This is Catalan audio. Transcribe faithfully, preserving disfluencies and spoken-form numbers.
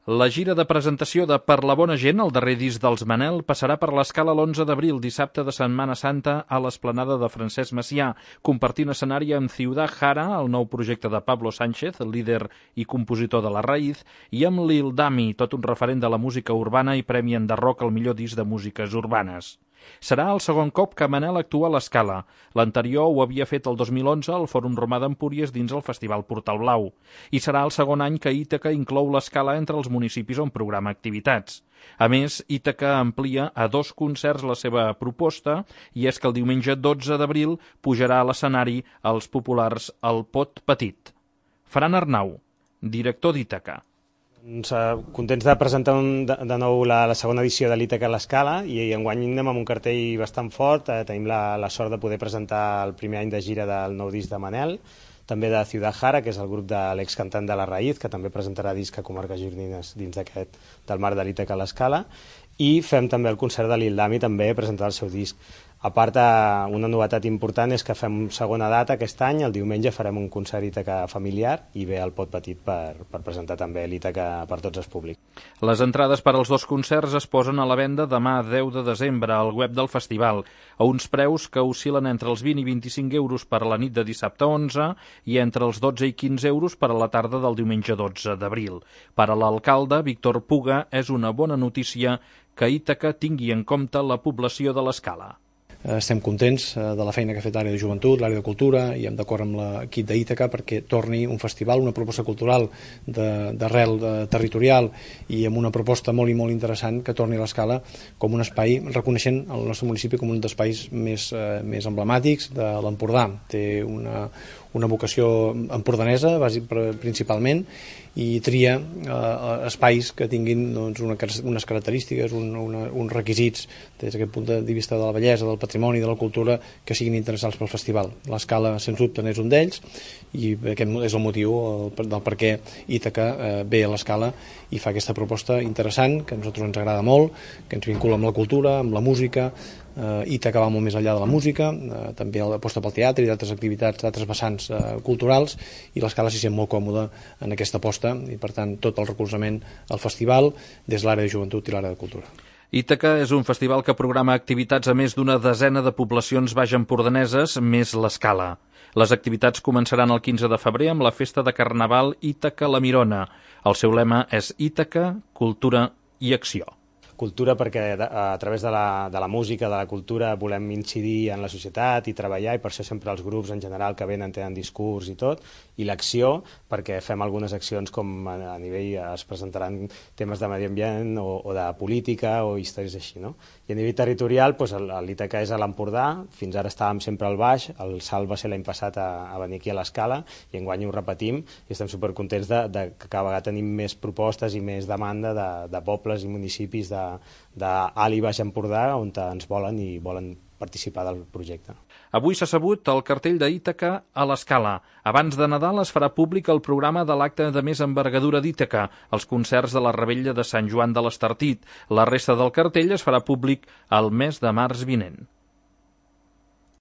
La gira de presentació de Per la bona gent, el darrer disc dels Manel, passarà per l'Escala l'onze d'abril, dissabte de Setmana Santa, a l'Esplanada de Francesc Macià, compartint escenari amb Ciudad Jara, el nou projecte de Pablo Sánchez, líder i compositor de La Raíz, i amb Lil Dami, tot un referent de la música urbana i premi Enderroc al millor disc de músiques urbanes. Serà el segon cop que Manel actua a l'Escala. L'anterior ho havia fet el dos mil onze al Fòrum Romà d'Empúries dins el Festival Portal Blau. I serà el segon any que Ítaca inclou l'Escala entre els municipis on programa activitats. A més, Ítaca amplia a dos concerts la seva proposta, i és que el diumenge dotze d'abril pujarà a l'escenari els populars El Pot Petit. Fran Arnau, director d'Ítaca. Doncs, eh, contents de presentar un, de, de nou la, la segona edició de l'Ítaca a l'Escala, i, i enguany anem amb un cartell bastant fort. Eh, tenim la, la sort de poder presentar el primer any de gira del nou disc de Manel, també de Ciudad Jara, que és el grup de l'excantant de La Raíz, que també presentarà disc a Comarques Gironines dins d'aquest del marc de l'Ítaca a l'Escala, i fem també el concert de Lil Dami, també presentar el seu disc. A part, una novetat important és que fem segona data aquest any, el diumenge farem un concert Ítaca familiar i ve el Pot Petit per, per presentar també l'Ítaca per tots els públics. Les entrades per als dos concerts es posen a la venda demà deu de desembre al web del festival, a uns preus que oscil·len entre els vint i vint-i-cinc euros per a la nit de dissabte onze i entre els dotze i quinze euros per a la tarda del diumenge dotze d'abril. Per a l'alcalde, Víctor Puga, és una bona notícia que Ítaca tingui en compte la població de l'Escala. Estem contents de la feina que ha fet l'àrea de joventut, l'àrea de cultura, i hem d'acord amb l'equip d'Ítaca perquè torni un festival, una proposta cultural d'arrel territorial i amb una proposta molt i molt interessant que torni a l'Escala com un espai, reconeixent el nostre municipi com un dels espais més, eh, més emblemàtics de l'Empordà. Té una, una vocació empordanesa, principalment, i tria eh, espais que tinguin doncs, una, unes característiques, un, una, uns requisits des d'aquest punt de vista de la bellesa, del patrimoni, de la cultura, que siguin interessants pel festival. L'Escala, sens dubte, n'és un d'ells, i aquest és el motiu el, del per què Ítaca eh, ve a l'Escala i fa aquesta proposta interessant, que a nosaltres ens agrada molt, que ens vincula amb la cultura, amb la música. Uh, Ítaca va molt més enllà de la música, uh, també aposta pel teatre i d'altres activitats, d'altres vessants uh, culturals, i l'Escala s'hi sent molt còmoda en aquesta aposta, i per tant tot el recolzament al festival des de l'àrea de joventut i l'àrea de cultura. Ítaca és un festival que programa activitats a més d'una desena de poblacions baix-empordaneses, més l'Escala. Les activitats començaran el quinze de febrer amb la festa de Carnaval Ítaca la Mirona. El seu lema és Ítaca, cultura i acció. Cultura perquè a través de la, de la música, de la cultura, volem incidir en la societat i treballar, i per això sempre els grups en general que venen tenen discurs i tot, i l'acció perquè fem algunes accions com a, a nivell, es presentaran temes de medi ambient o, o de política o històries així, no? I a nivell territorial, doncs, l'Ítaca és a l'Empordà, fins ara estàvem sempre al baix, el salt va ser l'any passat a, a venir aquí a l'Escala, i enguany ho repetim, i estem supercontents de, de que cada vegada tenim més propostes i més demanda de, de pobles i municipis de d'Alt i Baix Empordà on ens volen i volen participar del projecte. Avui s'ha sabut el cartell d'Ítaca a l'Escala. Abans de Nadal es farà públic el programa de l'acte de més envergadura d'Ítaca, els concerts de la Revetlla de Sant Joan de l'Estartit. La resta del cartell es farà públic el mes de març vinent.